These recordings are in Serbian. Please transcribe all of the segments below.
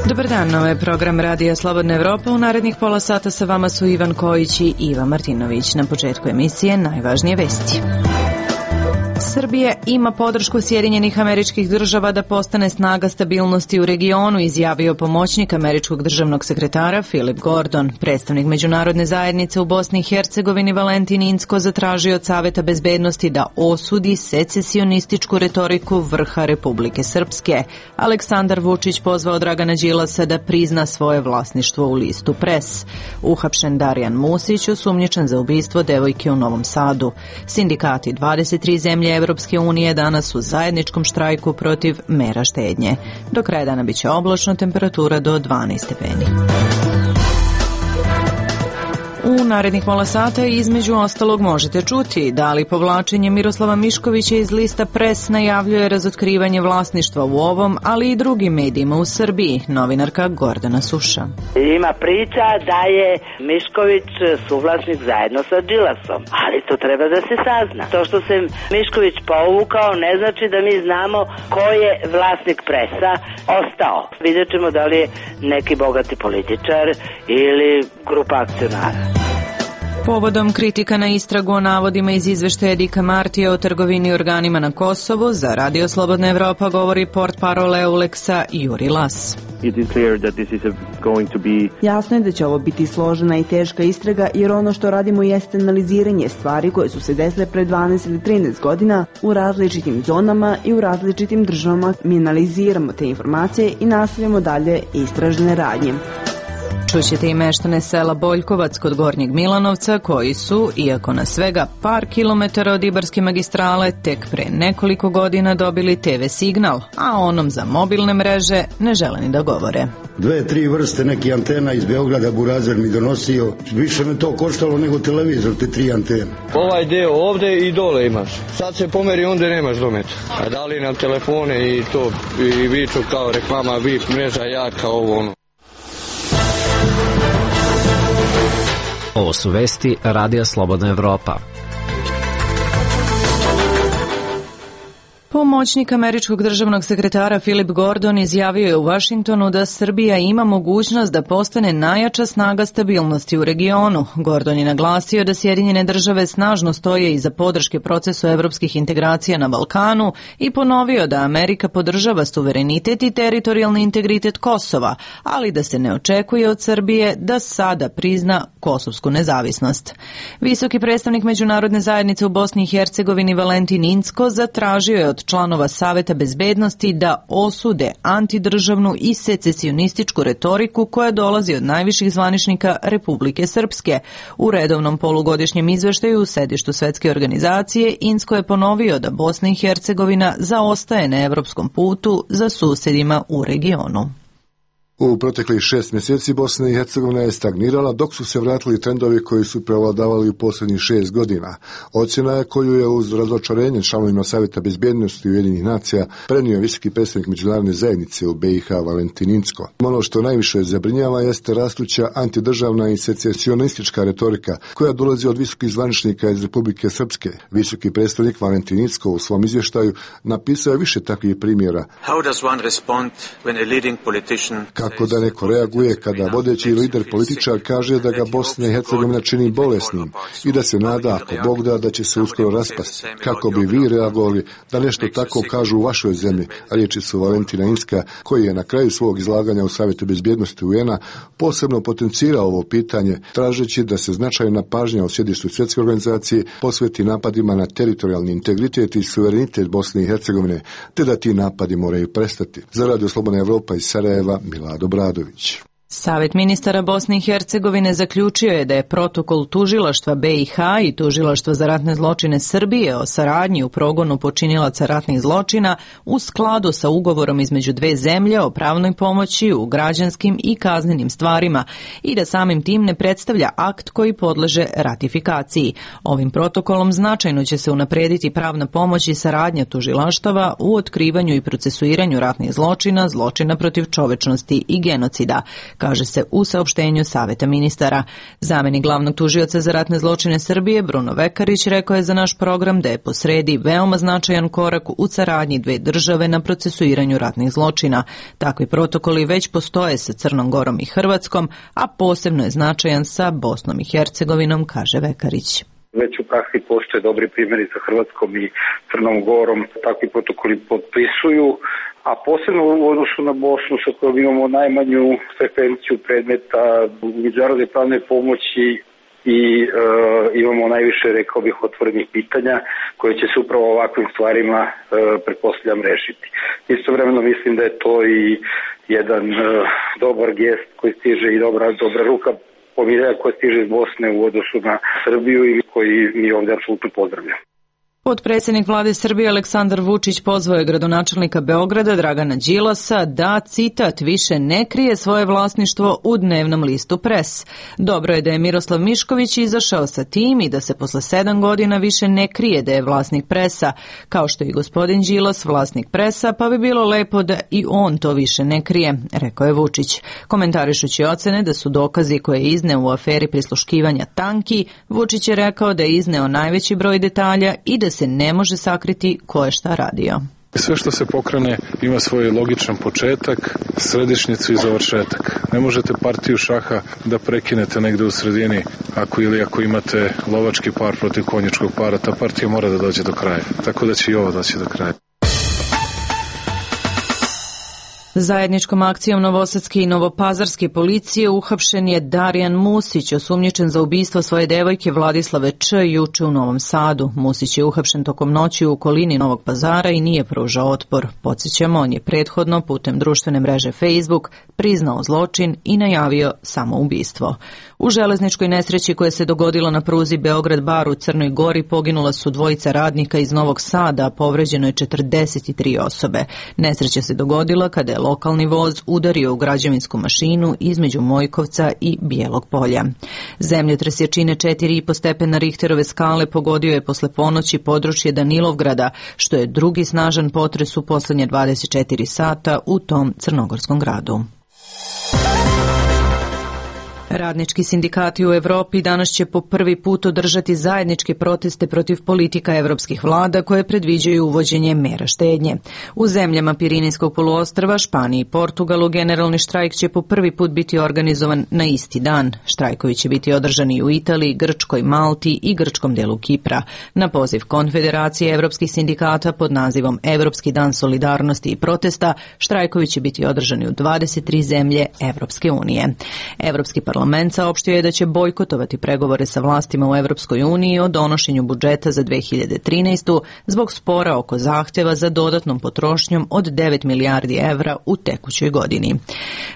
Dobar dan, ovo je program Radija Slobodna Evropa. U narednih pola sata sa vama su Ivan Kojić i Iva Martinović. Na početku emisije najvažnije vesti. Srbija ima podršku Sjedinjenih Američkih Država da postane snaga stabilnosti u regionu, izjavio pomoćnik američkog državnog sekretara Philip Gordon. Predstavnik međunarodne zajednice u Bosni i Hercegovini Valentin Incko zatražio od Saveta bezbednosti da osudi secesionističku retoriku vrha Republike Srpske. Aleksandar Vučić pozvao Dragana Đilasa da prizna svoje vlasništvo u listu Pres. Uhapšen Darijan Musić, osumnjičen za ubistvo devojke u Novom Sadu. Sindikati 23 zemlje Evropske unije danas u zajedničkom štrajku protiv mera štednje. Do kraja dana biće oblačno, temperatura do 12 stepeni. U narednih pola sata između ostalog možete čuti da li povlačenje Miroslava Miškovića iz lista Pres najavljuje razotkrivanje vlasništva u ovom, ali i drugim medijima u Srbiji. Novinarka Gordana Suša. Ima priča da je Mišković suvlasnik zajedno sa Đilasom, ali to treba da se sazna. To što se Mišković povukao ne znači da mi znamo ko je vlasnik Presa ostao. Vidjet ćemo da li je neki bogati političar ili grupa akcionara. Povodom kritika na istragu o navodima iz izveštaja Dika Martija o trgovini organima na Kosovu, za Radio Slobodna Evropa govori portparol Euleksa Juri Las. Jasno je da će ovo biti složena i teška istraga, jer ono što radimo jeste analiziranje stvari koje su se desile pre 12 ili 13 godina u različitim zonama i u različitim državama. Mi analiziramo te informacije i nastavljamo dalje istražne radnje. Čućete i meštane sela Boljkovac kod Gornjeg Milanovca, koji su, iako na svega par kilometara od Ibarske magistrale, tek pre nekoliko godina dobili TV signal, a onom za mobilne mreže ne žele ni da govore. 2-3 vrste neki antena iz Beograda Burazer mi donosio. Više me to koštalo nego televizor, te 3 antene. Ovaj deo ovde i dole imaš. Sad se pomeri, onda nemaš dometa. A dali nam telefone i to, i viču kao reklama, VIP mreža jaka, ovo ono. Ovo su vesti Radija Slobodna Evropa. Pomoćnik američkog državnog sekretara Philip Gordon izjavio je u Vašingtonu da Srbija ima mogućnost da postane najjača snaga stabilnosti u regionu. Gordon je naglasio da Sjedinjene države snažno stoje iza podrške procesu evropskih integracija na Balkanu i ponovio da Amerika podržava suverenitet i teritorijalni integritet Kosova, ali da se ne očekuje od Srbije da sada prizna kosovsku nezavisnost. Visoki predstavnik međunarodne zajednice u Bosni i Hercegovini Valentin Incko zatražio je od članova Saveta bezbednosti da osude antidržavnu i secesionističku retoriku koja dolazi od najviših zvaničnika Republike Srpske. U redovnom polugodišnjem izveštaju u sedištu Svetske organizacije Incko je ponovio da Bosna i Hercegovina zaostaje na evropskom putu za susedima u regionu. U proteklih 6 mjeseci Bosna i Hercegovina je stagnirala, dok su se vratili trendovi koji su prevladavali u posljednjih 6 godina. Ocjena je koju je uz razočarenje članovima Savjeta bezbednosti Ujedinjenih nacija prenio visoki predstavnik međunarodne zajednice u BiH Valentin Incko. Ono što najviše zabrinjava jeste rastuća antidržavna i secesionistička retorika koja dolazi od visokih zvaničnika iz Republike Srpske. Visoki predstavnik Valentin Incko u svom izvještaju napisao je više takvih primjera. Kako da neko reaguje kada vodeći lider političar kaže da ga Bosna i Hercegovina čini bolesnim i da se nada, ako Bog da, da će se uskoro raspasti. Kako bi vi reagovali da nešto tako kažu u vašoj zemlji? Riječi su Valentina Incka, koji je na kraju svog izlaganja u Savjetu bezbednosti UN-a posebno potencirao ovo pitanje, tražeći da se značajna pažnja u sjedištu Svjetske organizacije posveti napadima na teritorijalni integritet i suverenitet Bosne i Hercegovine, te da ti napadi moraju prestati. Za Radio Slobodna Evropa iz Sarajeva, Milado Bradović. Savet ministara Bosne i Hercegovine zaključio je da je protokol tužilaštva BiH i tužilaštva za ratne zločine Srbije o saradnji u progonu počinilaca ratnih zločina u skladu sa ugovorom između dve zemlje o pravnoj pomoći u građanskim i kaznenim stvarima i da samim tim ne predstavlja akt koji podleže ratifikaciji. Ovim protokolom značajno će se unaprediti pravna pomoć i saradnja tužilaštava u otkrivanju i procesuiranju ratnih zločina, zločina protiv čovečnosti i genocida. kaže se u saopštenju Saveta ministara. Zamenik glavnog tužioca za ratne zločine Srbije, Bruno Vekarić, rekao je za naš program da je posredi veoma značajan korak u saradnji dve države na procesuiranju ratnih zločina. Takvi protokoli već postoje sa Crnom Gorom i Hrvatskom, a posebno je značajan sa Bosnom i Hercegovinom, kaže Vekarić. Već u praksi postoje dobri primjeri sa Hrvatskom i Crnom Gorom, takvi protokoli potpisuju, a posebno u odnosu na Bosnu sa kojom imamo najmanju frekvenciju predmeta u međunarodnoj pravnoj pomoći i imamo najviše, rekao bih, otvorenih pitanja koje će se upravo ovakvim stvarima, pretpostavljam, rešiti. Istovremeno mislim da je to i jedan dobar gest koji stiže i dobra ruka pomirenja koja stiže iz Bosne u odnosu na Srbiju i koji mi ovdje apsolutno pozdravljamo. Potpredsjednik vlade Srbije Aleksandar Vučić pozvao je gradonačelnika Beograda Dragana Đilasa da, citat, više ne krije svoje vlasništvo u dnevnom listu Pres. Dobro je da je Miroslav Mišković izašao sa tim i da se posle 7 godina više ne krije da je vlasnik Presa, kao što je i gospodin Đilas vlasnik Presa, pa bi bilo lepo da i on to više ne krije, rekao je Vučić. Komentarišući ocene da su dokazi koje je izneo u aferi prisluškivanja tanki, Vučić je rekao da je izneo najveći broj detalja i da se ne može sakriti ko je šta radio. Sve što se pokrene ima svoj logičan početak, središnjicu i završetak. Ne možete partiju šaha da prekinete negde u sredini ako imate lovački par protiv konjičkog para, ta partija mora da dođe do kraja. Tako da će i ovo doći do kraja. Zajedničkom akcijom novosadske i novopazarske policije uhapšen je Darijan Musić, osumnjičen za ubistvo svoje devojke Vladislave Č. juče u Novom Sadu. Musić je uhapšen tokom noći u okolini Novog Pazara i nije pružao otpor. Podsjećamo, on je prethodno putem društvene mreže Facebook priznao zločin i najavio samoubistvo. U železničkoj nesreći koja se dogodila na pruzi Beograd-Bar u Crnoj Gori poginula su dvojica radnika iz Novog Sada, a povređeno je 43 osobe. Nesreća se dogodila kada je lokalni voz udario u građevinsku mašinu između Mojkovca i Bijelog Polja. Zemljotres jačine 4,5 stepena Richterove skale pogodio je posle ponoći područje Danilovgrada, što je drugi snažan potres u poslednje 24 sata u tom crnogorskom gradu. Radnički sindikati u Evropi danas će po prvi put održati zajedničke proteste protiv politika evropskih vlada koje predviđaju uvođenje mera štednje. U zemljama Pirinejskog poluostrva, Španiji i Portugalu generalni štrajk će po prvi put biti organizovan na isti dan. Štrajkovi će biti održani u Italiji, Grčkoj, Malti i grčkom delu Kipra. Na poziv Konfederacije evropskih sindikata pod nazivom Evropski dan solidarnosti i protesta, štrajkovi će biti održani u 23 zemlje Evropske unije. Evropski parlament saopštio je da će bojkotovati pregovore sa vlastima u Evropskoj uniji o donošenju budžeta za 2013. zbog spora oko zahtjeva za dodatnom potrošnjom od 9 milijardi evra u tekućoj godini.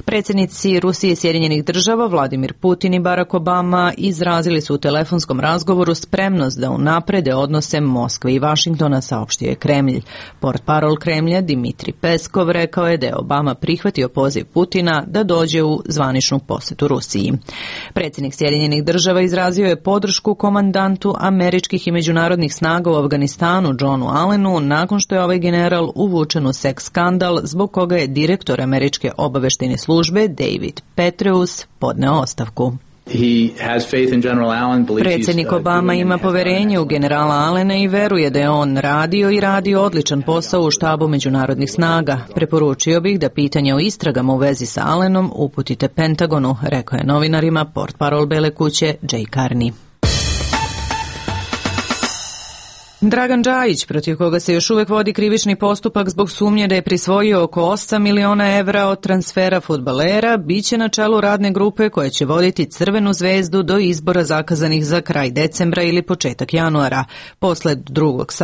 Predsjednici Rusije i Sjedinjenih država Vladimir Putin i Barack Obama izrazili su u telefonskom razgovoru spremnost da unaprede odnose Moskve i Vašingtona, saopštio je Kremlj. Portparol Kremlja Dmitri Peskov rekao je da je Obama prihvatio poziv Putina da dođe u zvaničnu posetu Rusiji. Predsjednik Sjedinjenih država izrazio je podršku komandantu američkih i međunarodnih snaga u Afganistanu Johnu Allenu nakon što je ovaj general uvučen u seks skandal zbog koga je direktor američke obaveštajne službe David Petraeus podneo ostavku. Predsjednik Obama ima poverenje u generala Allena i veruje da je on radio odličan posao u štabu međunarodnih snaga. Preporučio bih da pitanja o istragama u vezi sa Allenom uputite Pentagonu, rekao je novinarima portparol Bele kuće Jay Carney. Dragan Džajić, protiv koga se još uvek vodi krivični postupak zbog sumnje da je prisvojio oko 8 miliona evra od transfera fudbalera, biće na čelu radne grupe koja će voditi Crvenu zvezdu do izbora zakazanih za kraj decembra ili početak januara. Posle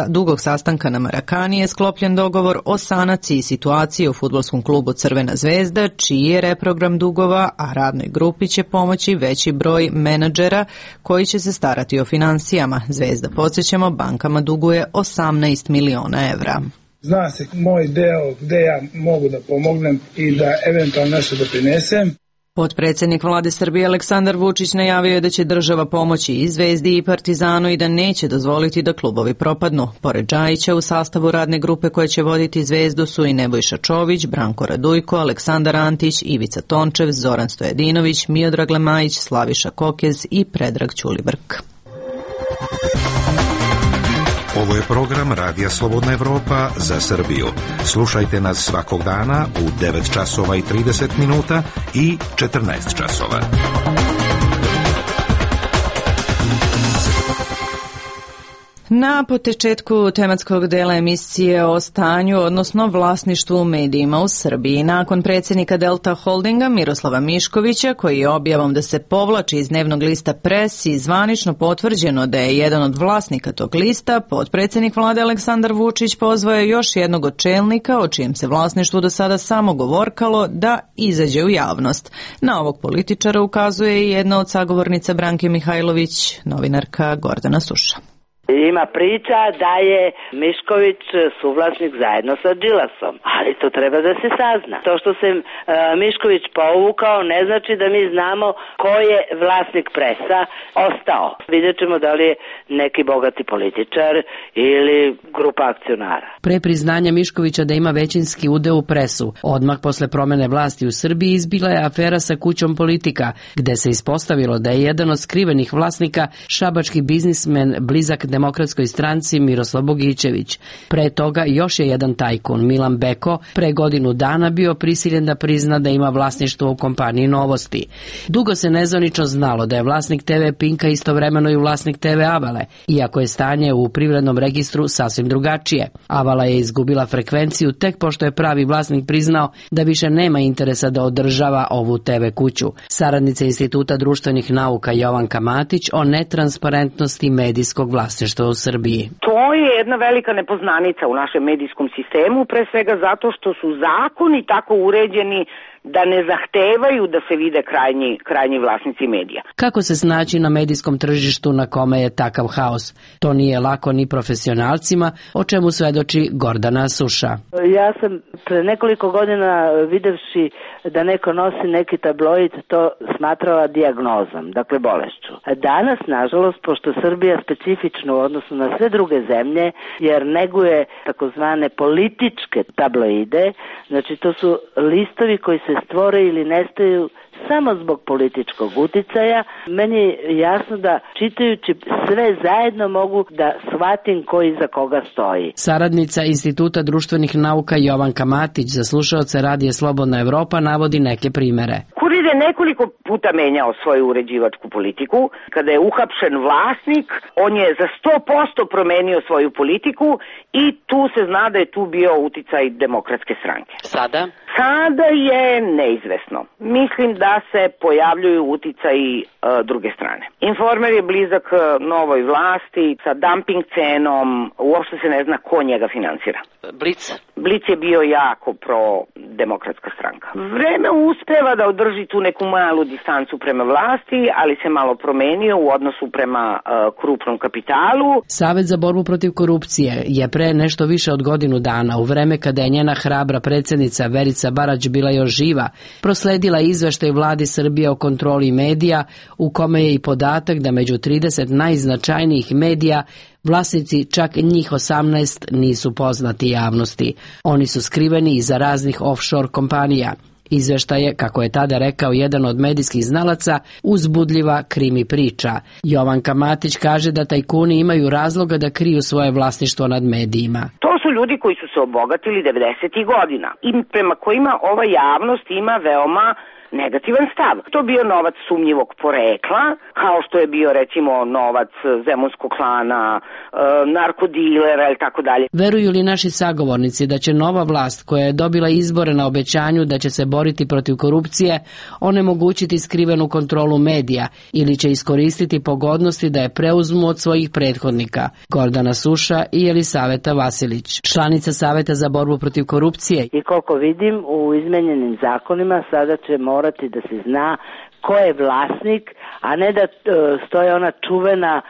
dugog sastanka na Marakani je sklopljen dogovor o sanaciji situacije u fudbalskom klubu Crvena zvezda, čiji je reprogram dugova, a radnoj grupi će pomoći veći broj menadžera koji će se starati o finansijama. Zvezda, podsjećamo, bankama duguje 18 miliona evra. Zna se moj deo gde ja mogu da pomognem i da eventualno nešto doprinesem. Potpredsjednik vlade Srbije Aleksandar Vučić najavio je da će država pomoći i Zvezdi i Partizanu i da neće dozvoliti da klubovi propadnu. Pored Džajića, u sastavu radne grupe koje će voditi Zvezdu su i Nebojša Čović, Branko Radujko, Aleksandar Antić, Ivica Tončev, Zoran Stojadinović, Miodrag Lemajić, Slaviša Kokez i Predrag Ćulibrk. Ovo je program Radija Slobodna Evropa za Srbiju. Slušajte nas svakog dana u 9 časova i 30 minuta i 14 časova. Na početku tematskog dela emisije o stanju, odnosno vlasništvu u medijima u Srbiji. Nakon predsjednika Delta Holdinga Miroslava Miškovića, koji je objavom da se povlači iz dnevnog lista Pres i zvanično potvrđeno da je jedan od vlasnika tog lista, potpredsjednik vlade Aleksandar Vučić pozvao je još jednog od čelnika, o čijem se vlasništvu do sada samo govorkalo, da izađe u javnost. Na ovog političara ukazuje i jedna od sagovornica Branke Mihajlović, novinarka Gordana Suša. Ima priča da je Mišković suvlasnik zajedno sa Đilasom, ali to treba da se sazna. To što se Mišković povukao ne znači da mi znamo ko je vlasnik Presa ostao. Vidjet ćemo da li je neki bogati političar ili grupa akcionara. Pre priznanja Miškovića da ima većinski udeo u Presu, odmah posle promene vlasti u Srbiji izbila je afera sa Kućom Politika, gde se ispostavilo da je jedan od skrivenih vlasnika šabački biznismen blizak Demokratskoj stranci Miroslav Bogićević. Pre toga još je jedan tajkun, Milan Beko, pre godinu dana bio prisiljen da prizna da ima vlasništvo u kompaniji Novosti. Dugo se nezvanično znalo da je vlasnik TV Pinka istovremeno i vlasnik TV Avale, iako je stanje u privrednom registru sasvim drugačije. Avala je izgubila frekvenciju tek pošto je pravi vlasnik priznao da više nema interesa da održava ovu TV kuću. Saradnica Instituta društvenih nauka Jovanka Matić o netransparentnosti medijskog vlasništva u Srbiji. To je jedna velika nepoznanica u našem medijskom sistemu, pre svega zato što su zakoni tako uređeni da ne zahtevaju da se vide krajnji vlasnici medija. Kako se snaći na medijskom tržištu na kome je takav haos? To nije lako ni profesionalcima, o čemu svedoči Gordana Suša. Ja sam pre nekoliko godina videvši da neko nosi neki tabloid, to smatrala dijagnozom, dakle bolešću. Danas, nažalost, pošto Srbija specifično u odnosu na sve druge zemlje, jer neguje takozvane političke tabloide, znači to su listovi koji se stvore ili nestaju samo zbog političkog uticaja. Meni je jasno da čitajući sve zajedno mogu da shvatim ko iza koga stoji. Saradnica Instituta društvenih nauka Jovanka Matić za slušaoce Radija Slobodna Evropa navodi neke primere. Kurir je nekoliko puta menjao svoju uređivačku politiku. Kada je uhapšen vlasnik, on je za 100% promenio svoju politiku i tu se zna da je tu bio uticaj Demokratske stranke. Sada je neizvesno. Mislim da se pojavljuju uticaji druge strane. Informer je blizak novoj vlasti sa dumping cenom, uopšte se ne zna ko njega finansira. Blic je bio jako pro-demokratska stranka. Vreme uspeva da održi tu neku malu distancu prema vlasti, ali se malo promenio u odnosu prema krupnom kapitalu. Savet za borbu protiv korupcije je pre nešto više od godinu dana, u vreme kada je njena hrabra predsjednica Verica Barać bila još živa, prosledila izveštaj vladi Srbije o kontroli medija, u kome je i podatak da među 30 najznačajnijih medija vlasnici čak njih 18 nisu poznati javnosti. Oni su skriveni iza raznih offshore kompanija. Izveštaj je, kako je tada rekao jedan od medijskih znalaca, uzbudljiva krimi priča. Jovanka Matić kaže da tajkuni imaju razloga da kriju svoje vlasništvo nad medijima. To su ljudi koji su se obogatili 90. godina i prema kojima ova javnost ima veoma negativan stav. To bio novac sumnjivog porekla, kao što je bio recimo novac zemunskog klana, narkodilera ili tako dalje. Veruju li naši sagovornici da će nova vlast koja je dobila izbore na obećanju da će se boriti protiv korupcije onemogućiti skrivenu kontrolu medija ili će iskoristiti pogodnosti da je preuzmu od svojih prethodnika? Gordana Suša i Elisaveta Vasilić, članica Saveta za borbu protiv korupcije. I koliko vidim, u izmenjenim zakonima sada će morati da se zna ko je vlasnik, a ne da stoje ona čuvena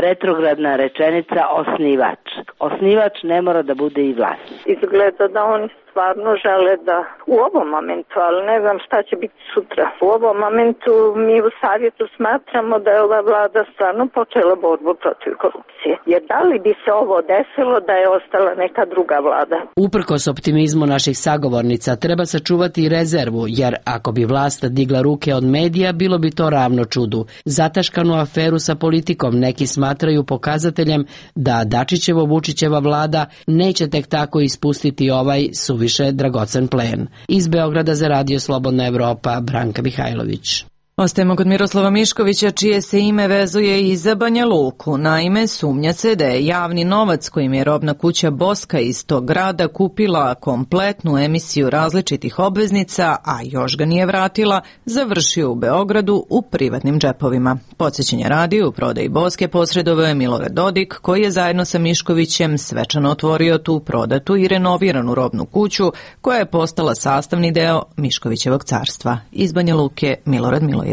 retrogradna rečenica osnivač. Osnivač ne mora da bude i vlasnik. Izgleda da on stvarno žele da u ovom momentu, ali ne znam šta će biti sutra. U ovom momentu mi u Savjetu smatramo da je ova vlada stvarno počela borbu protiv korupcije. Jer da li bi se ovo desilo da je ostala neka druga vlada? Uprkos optimizmu naših sagovornica treba sačuvati i rezervu, jer ako bi vlast digla ruke od medija, bilo bi to ravno čudu. Zataškanu aferu sa politikom neki smatraju pokazateljem da Dačićevo-Vučićeva vlada neće tek tako ispustiti ovaj suviše dragocen plen. Iz Beograda za Radio Slobodna Evropa, Branka Mihajlović. Ostajemo kod Miroslava Miškovića, čije se ime vezuje i za Banja Luku. Naime, sumnja se da je javni novac kojim je robna kuća Boska iz tog grada kupila kompletnu emisiju različitih obveznica, a još ga nije vratila, završio u Beogradu u privatnim džepovima. Podsjećanje radi, u prodaji Boske posredovao je Milorad Dodik, koji je zajedno sa Miškovićem svečano otvorio tu prodatu i renoviranu robnu kuću, koja je postala sastavni deo Miškovićevog carstva. Iz Banja Luke, Milorad Milojević.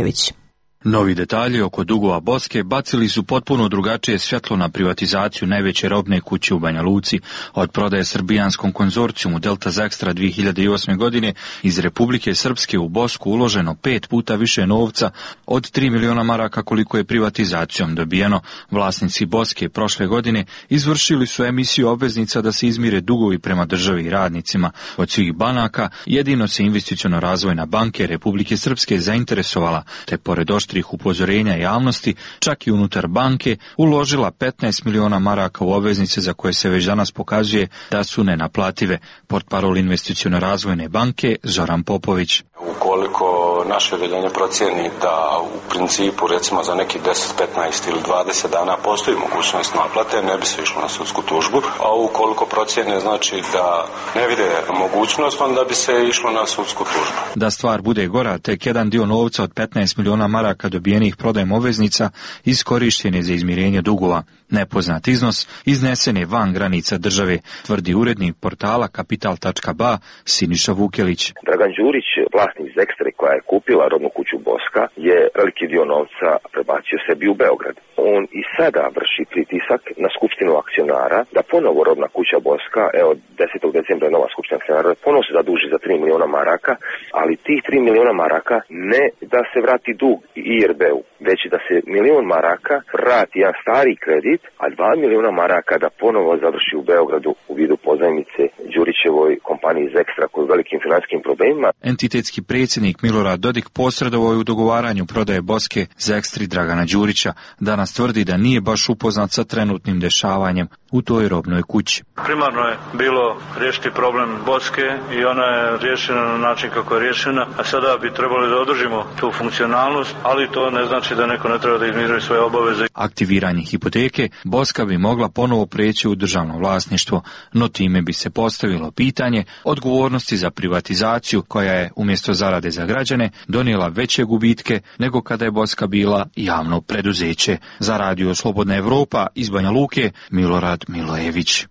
Novi detalji oko dugova Boske bacili su potpuno drugačije svjetlo na privatizaciju najveće robne kuće u Banja Luci. Od prodaje srbijanskom konzorcijumu Delta Zextra 2008. godine iz Republike Srpske u Bosku uloženo 5 puta više novca od 3 miliona maraka koliko je privatizacijom dobijeno. Vlasnici Boske prošle godine izvršili su emisiju obveznica da se izmire dugovi prema državi i radnicima. Od svih banaka jedino se Investiciono-razvojna banka Republike Srpske zainteresovala, te pored oštrih upozorenja javnosti, čak i unutar banke, uložila 15 miliona maraka u obveznice za koje se već danas pokazuje da su nenaplative. Portparol Investiciono-razvojne banke Zoran Popović. Ukoliko naše odeljenje procijeni da u principu recimo za neki 10, 15 ili 20 dana postoji mogućnost naplate, ne bi se išlo na sudsku tužbu, a ukoliko procijene znači da ne vide mogućnost, onda bi se išlo na sudsku tužbu. Da stvar bude gora, tek jedan dio novca od 15 miliona maraka dobijenih prodajem obveznica iskorišten je za izmirenje dugova. Nepoznat iznos iznesen je van granica države, tvrdi urednik portala Kapital.ba Siniša Vukelić. Dragan Đurić, vlasnik Zextre koja je kupila robnu kuću Boska, je veliki dio novca prebacio sebi u Beograd. On i sada vrši pritisak na skupštinu akcionara da ponovo robna kuća Boska, evo 10. decembra je nova skupština akcionara, ponovo se zaduži za 3 miliona maraka, ali tih 3 miliona maraka ne da se vrati dug IRB-u, već da se milion maraka vrati jedan stari kredit, a 2 miliona maraka da ponovo završi u Beogradu u vidu pozajmice Đurićevoj kompaniji Zextra koji je velikim finansijskim problemima. Entitetski predsjednik Milorad Dodik posredovao je u dogovaranju prodaje Boske Zextri Dragana Đurića. Danas tvrdi da nije baš upoznat sa trenutnim dešavanjem u toj robnoj kući. Primarno je bilo riješiti problem Boske i ona je riješena na način kako je riješena, a sada bi trebali da održimo tu funkcionalnost, ali to ne znači da neko ne treba da izmiruje svoje obaveze. Aktiviranje hipoteke Boska bi mogla ponovo preći u državno vlasništvo, no time bi se postavilo pitanje odgovornosti za privatizaciju koja je umjesto zarade za građane donijela veće gubitke nego kada je Boska bila javno preduzeće. Za Radio Slobodna Evropa iz Banja Luke, Milorad Milojević.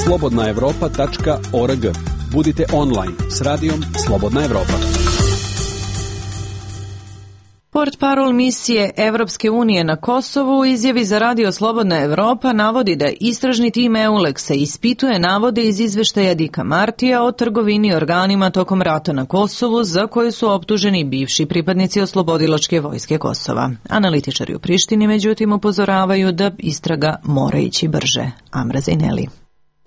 slobodnaevropa.org. Budite online s radijom Slobodna Evropa. Portparol misije Evropske unije na Kosovu u izjavi za Radio Slobodna Evropa navodi da istražni tim EULEX-a ispituje navode iz izveštaja Dika Martija o trgovini organima tokom rata na Kosovu za koje su optuženi bivši pripadnici Oslobodilačke vojske Kosova. Analitičari u Prištini međutim upozoravaju da istraga mora ići brže. Amra Zejneli.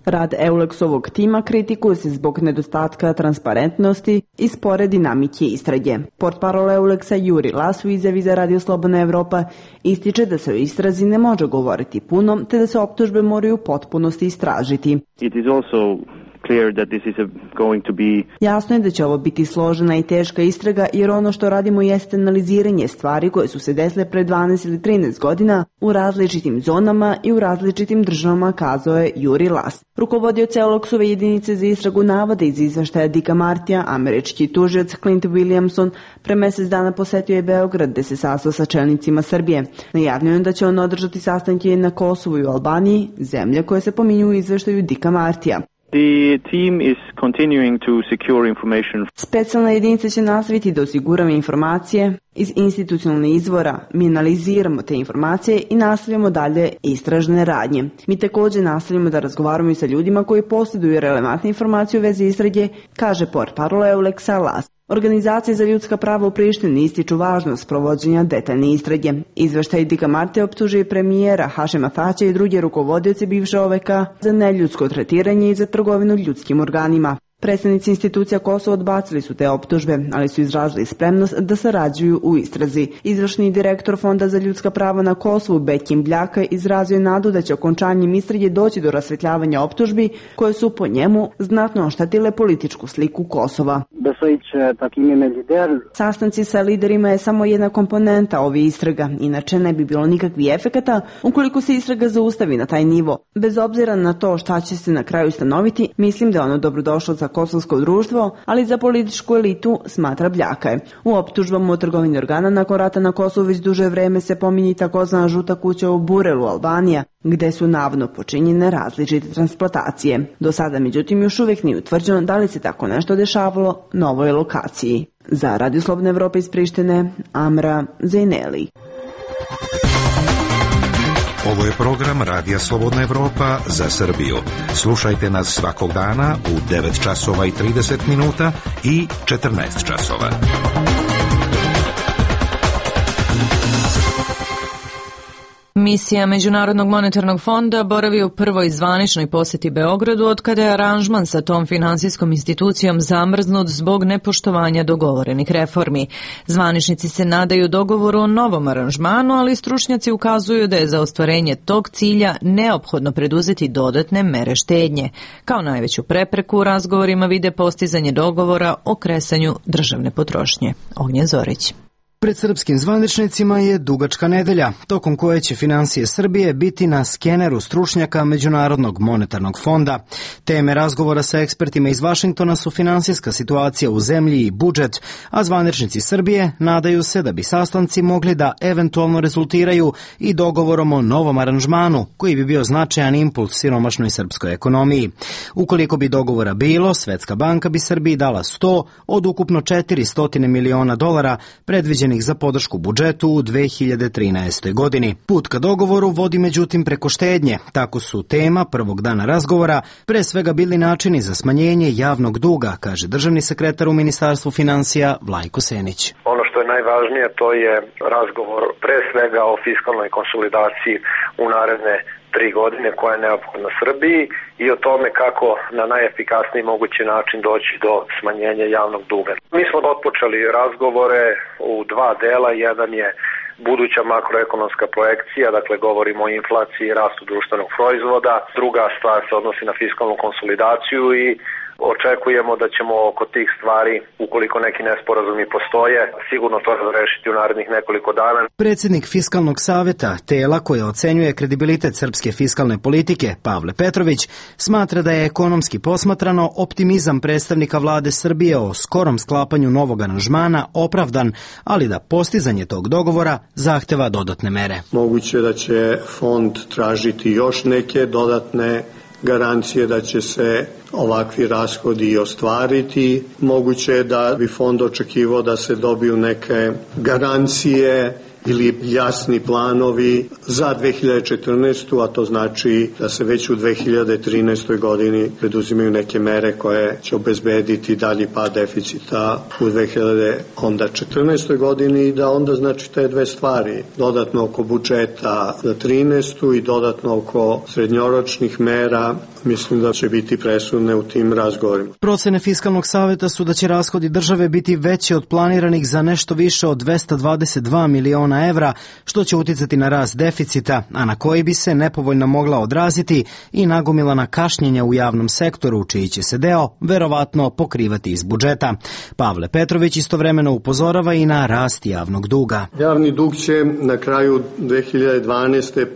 Rad EULEX-ovog tima kritikuje se zbog nedostatka transparentnosti i spore dinamike istrage. Portparol EULEX-a Juri Las u izjavi za Radio Slobodna Evropa ističe da se o istrazi ne može govoriti puno, te da se optužbe moraju u potpunosti istražiti. It is also clear that this is going to be... Jasno je da će ovo biti složena i teška istraga jer ono što radimo jeste analiziranje stvari koje su se desile pre 12 ili 13 godina u različitim zonama i u različitim državama, kazao je Juri Las. Rukovodioc EULEX-ove jedinice za istragu navode iz izveštaja Dika Martija, američki tužilac Clint Williamson pre mesec dana posetio je Beograd gde se sastao sa čelnicima Srbije. Najavljeno je da će on održati sastanke na Kosovu i u Albaniji, zemlje koje se pominju u izveštaju Dika Martija. The team is continuing to secure information. Specijalna jedinica će nastaviti da osigurava informacije iz institucionalnih izvora. Mi analiziramo te informacije i nastavljamo dalje istražne radnje. Mi također nastavljamo da razgovaramo i sa ljudima koji posjeduju relevantne informacije u vezi istrage, kaže portparol Euleksa Las. Organizacije za ljudska prava u Prištini ističu važnost provođenja detaljne istrage. Izveštaj Dika Marte optužuje premijera Hašema Tačija i druge rukovodioce bivše OVK za neljudsko tretiranje i za trgovinu ljudskim organima. Predstavnici institucija Kosova odbacili su te optužbe, ali su izrazili spremnost da sarađuju u istrazi. Izvršni direktor Fonda za ljudska prava na Kosovu Bekim Bljaka izrazio nadu da će okončanjem istrage doći do rasvetljavanja optužbi koje su po njemu znatno oštetile političku sliku Kosova. Sastanci sa liderima je samo jedna komponenta ove istraga, inače ne bi bilo nikakvih efekata ukoliko se istraga zaustavi na taj nivo. Bez obzira na to šta će se na kraju ustanoviti, mislim da je ono dobrodošlo za kosovsko društvo, ali za političku elitu, smatra Bljaka. U optužbama o trgovini organa nakon rata na Kosovu već duže vreme se pominje takozvana žuta kuća u Burelu, Albanija, gde su navodno počinjene različite transplantacije. Do sada, međutim, još uvijek nije utvrđeno da li se tako nešto dešavalo na ovoj lokaciji. Za Radio Slobodna Evropa iz Prištine, Amra Zejneli. Ovo je program Radija Slobodna Evropa za Srbiju. Slušajte nas svakog dana u 9 časova i 30 minuta i 14 časova. Misija Međunarodnog monetarnog fonda boravi u prvoj zvaničnoj posjeti Beogradu otkada je aranžman sa tom finansijskom institucijom zamrznut zbog nepoštovanja dogovorenih reformi. Zvaničnici se nadaju dogovoru o novom aranžmanu, ali stručnjaci ukazuju da je za ostvarenje tog cilja neophodno preduzeti dodatne mere štednje. Kao najveću prepreku u razgovorima vide postizanje dogovora o kresanju državne potrošnje. Ognjen Zorić. Pred srpskim zvaničnicima je dugačka nedelja, tokom koje će finansije Srbije biti na skeneru stručnjaka Međunarodnog monetarnog fonda. Teme razgovora sa ekspertima iz Vašingtona su finansijska situacija u zemlji i budžet, a zvaničnici Srbije nadaju se da bi sastanci mogli da eventualno rezultiraju i dogovorom o novom aranžmanu, koji bi bio značajan impuls siromašnoj srpskoj ekonomiji. Ukoliko bi dogovora bilo, Svetska banka bi Srbiji dala 100 od ukupno $400 miliona predviđenih za podršku budžetu u 2013. godini. Put ka dogovoru vodi međutim preko štednje. Tako su tema prvog dana razgovora pre svega bili načini za smanjenje javnog duga, kaže državni sekretar u Ministarstvu finansija Vlajko Senić. Ono što je najvažnije to je razgovor pre svega o fiskalnoj konsolidaciji u naredne 3 godine koja je neophodna Srbiji i o tome kako na najefikasniji mogući način doći do smanjenja javnog duga. Mi smo otpočeli razgovore u 2 dela. Jedan je buduća makroekonomska projekcija, dakle govorimo o inflaciji i rastu društvenog proizvoda. Druga stvar se odnosi na fiskalnu konsolidaciju i očekujemo da ćemo oko tih stvari, ukoliko neki nesporazumi postoje, sigurno to razrešiti u narednih nekoliko dana. Predsjednik Fiskalnog saveta, tela koje ocenjuje kredibilitet srpske fiskalne politike, Pavle Petrović, smatra da je ekonomski posmatrano optimizam predstavnika vlade Srbije o skorom sklapanju novog aranžmana opravdan, ali da postizanje tog dogovora zahteva dodatne mere. Moguće da će fond tražiti još neke dodatne garancije da će se ovakvi rashodi i ostvariti. Moguće je da bi fond očekivao da se dobiju neke garancije ili jasni planovi za 2014. a to znači da se već u 2013. godini preduzimaju neke mere koje će obezbediti dalji pad deficita u 2014. godini i da onda znači te dve stvari, dodatno oko budžeta za 13. i dodatno oko srednjoročnih mera, mislim da će biti presudne u tim razgovorima. Procene Fiskalnog saveta su da će rashodi države biti veći od planiranih za nešto više od 222 miliona evra, što će uticati na rast deficita, a na koji bi se nepovoljno mogla odraziti i nagomilana kašnjenja u javnom sektoru, čiji će se deo verovatno pokrivati iz budžeta. Pavle Petrović istovremeno upozorava i na rast javnog duga. Javni dug će na kraju 2012.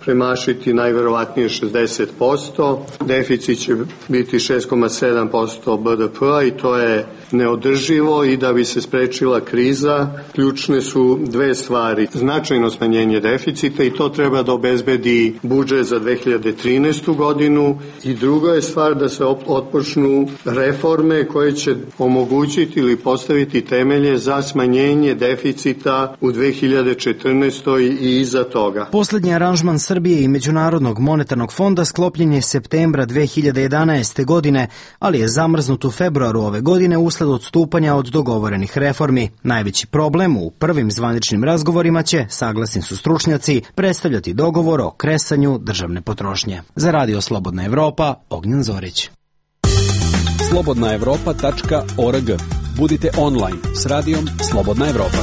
premašiti najverovatnije 60%, deficit će biti 6,7% BDP-a i to je neodrživo i da bi se sprečila kriza, ključne su dve stvari. Značajno smanjenje deficita i to treba da obezbedi budžet za 2013. godinu i druga je stvar da se otpočnu reforme koje će omogućiti ili postaviti temelje za smanjenje deficita u 2014. i iza toga. Poslednji aranžman Srbije i Međunarodnog monetarnog fonda sklopljen je septembra 2011. godine, ali je zamrznut u februaru ove godine usled odstupanja od dogovorenih reformi. Najveći problem u prvim zvaničnim razgovorima će, saglasni su stručnjaci, predstavljati dogovor o kresanju državne potrošnje. Za Radio Slobodna Evropa, Ognjen Zorić. slobodnaevropa.org. Budite online s radijom Slobodna Evropa.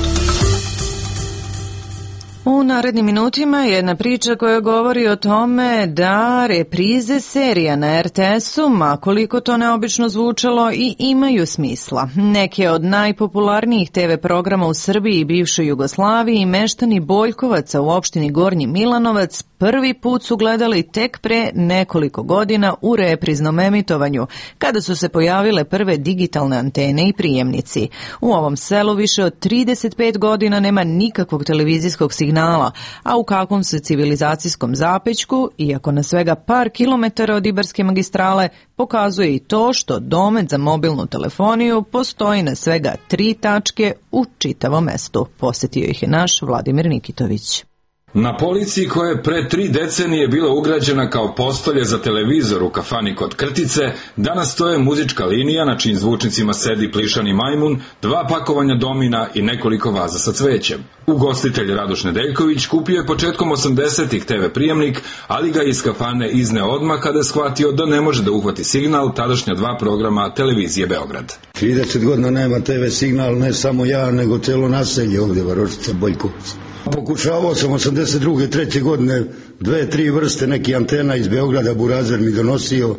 U narednim minutima jedna priča koja govori o tome da reprize serija na RTS-u, ma koliko to neobično zvučalo, i imaju smisla. Neke od najpopularnijih TV programa u Srbiji i bivšoj Jugoslaviji i meštani Boljkovaca u opštini Gornji Milanovac prvi put su gledali tek pre nekoliko godina u repriznom emitovanju, kada su se pojavile prve digitalne antene i prijemnici. U ovom selu više od 35 godina nema nikakvog televizijskog signala, a u kakvom se civilizacijskom zapećku, iako na svega par kilometara od Ibarske magistrale, pokazuje i to što domet za mobilnu telefoniju postoji na svega 3 tačke u čitavom mestu. Posjetio ih je naš Vladimir Nikitović. Na polici koja je pre 3 decenije bila ugrađena kao postolje za televizor u kafani kod Krtice, danas stoje muzička linija na čijim zvučnicima sedi plišani majmun, 2 pakovanja domina i nekoliko vaza sa cvećem. Ugostitelj Radoš Nedeljković kupio je početkom 80-ih TV prijemnik, ali ga iz kafane izneo odmah kada je shvatio da ne može da uhvati signal tadašnja 2 programa televizije Beograd. 30 godina nema TV signal, ne samo ja, nego celo naselje ovdje, Varošica, Boljkovac. Pokušavao sam 82. 3. godine 2-3 vrste nekih antena iz Beograda, Burazer mi donosio.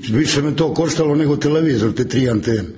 Više me to koštalo nego televizor, te 3 antene.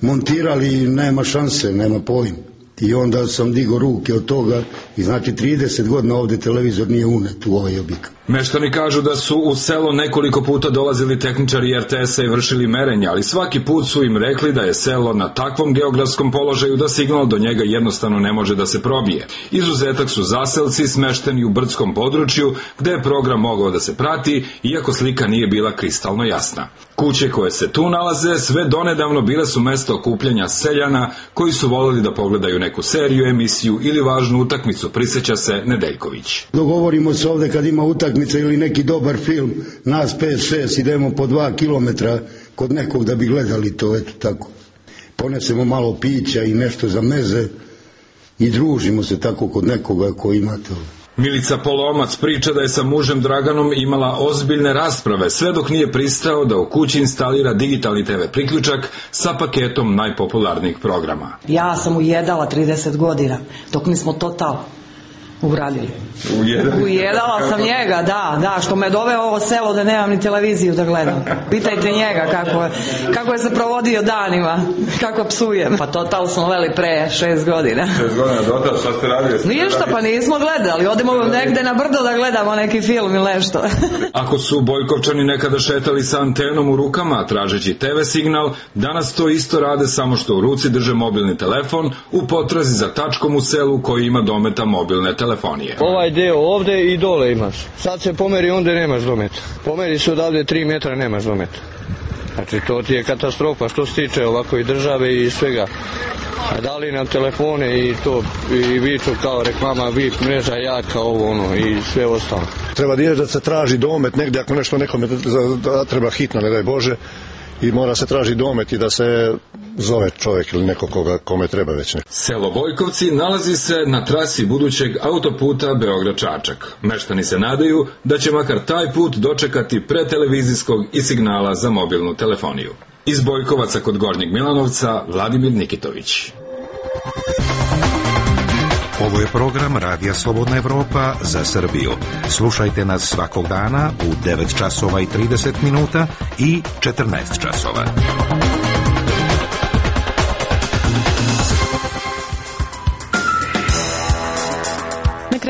Montirali, nema šanse, nema pojma. I onda sam digao ruke od toga i znači 30 godina ovdje televizor nije unet u ovaj objekat. Meštani kažu da su u selo nekoliko puta dolazili tehničari RTS-a i vršili merenja, ali svaki put su im rekli da je selo na takvom geografskom položaju da signal do njega jednostavno ne može da se probije. Izuzetak su zaselci smešteni u brdskom području gde je program mogao da se prati, iako slika nije bila kristalno jasna. Kuće koje se tu nalaze sve donedavno bile su mesto okupljanja seljana koji su voleli da pogledaju neku seriju, emisiju ili važnu utakmicu, prisjeća se Nedeljković. Dogovorimo se ovdje kad ima utakmica ili neki dobar film, nas 5-6 idemo po 2 kilometra kod nekog da bi gledali to, eto tako. Ponesemo malo pića i nešto za meze i družimo se tako kod nekoga ko ima to. Milica Polomac priča da je sa mužem Draganom imala ozbiljne rasprave sve dok nije pristao da u kući instalira digitalni TV priključak sa paketom najpopularnijih programa. Ja sam ujedala 30 godina dok nismo Total uradili. Ujedala sam njega, da, što me doveo ovo selo da nemam ni televiziju da gledam. Pitajte njega kako je se provodio danima, kako psujem. Pa Total smo veli pre 6 godina. 6 godina Total, šta ste radili? Ništa, pa nismo gledali, odemo negde na brdo da gledamo neki film ili nešto. Ako su Boljkovčani nekada šetali sa antenom u rukama tražeći TV signal, danas to isto rade, samo što u ruci drže mobilni telefon u potrazi za tačkom u selu koji ima dometa mobilne telefonije. Ovaj deo ovde i dole imaš. Sad se pomeri, onda nemaš dometa. Pomeri se odavde 3 metra, nemaš dometa. Znači to ti je katastrofa što se tiče ovako i države i svega. A dali nam telefone i to i viču kao reklama, VIP mreža jaka, ovo ono i sve ostalo. Treba da se traži domet negdje ako nešto nekome treba hitno, ne daj Bože, i mora se traži domet i da se zove čovjek ili neko kome treba već neko. Selo Bojkovci nalazi se na trasi budućeg autoputa Beograd-Čačak. Meštani se nadaju da će makar taj put dočekati pre televizijskog i signala za mobilnu telefoniju. Iz Bojkovaca kod Gornjeg Milanovca, Vladimir Nikitović. Ovo je program Radija Slobodna Evropa za Srbiju. Slušajte nas svakog dana u 9 časova i 30 minuta i 14 časova.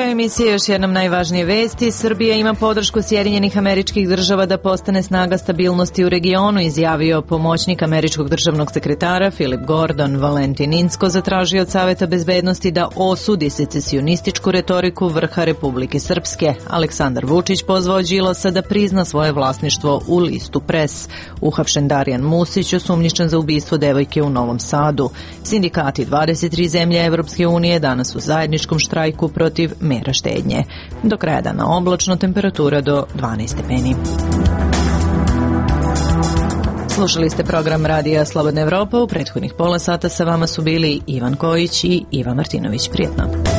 kraju emisije još jednom najvažnije vesti. Srbija ima podršku Sjedinjenih Američkih Država da postane snaga stabilnosti u regionu, izjavio pomoćnik američkog državnog sekretara Philip Gordon. Valentin Inzko zatražio od Saveta bezbednosti da osudi secesionističku retoriku vrha Republike Srpske. Aleksandar Vučić pozvao Đilasa da prizna svoje vlasništvo u listu Pres. Uhapšen Darijan Musić, osumnjičen za ubistvo devojke u Novom Sadu. Sindikati 23 zemlje Evropske unije danas u zajedničkom štrajku protiv mera štednje. Do kraja dana oblačno, temperatura do 12 stepeni. Slušali ste program Radija Slobodna Evropa. U prethodnih pola sata sa vama su bili Ivan Kojić i Iva Martinović. Prijetno.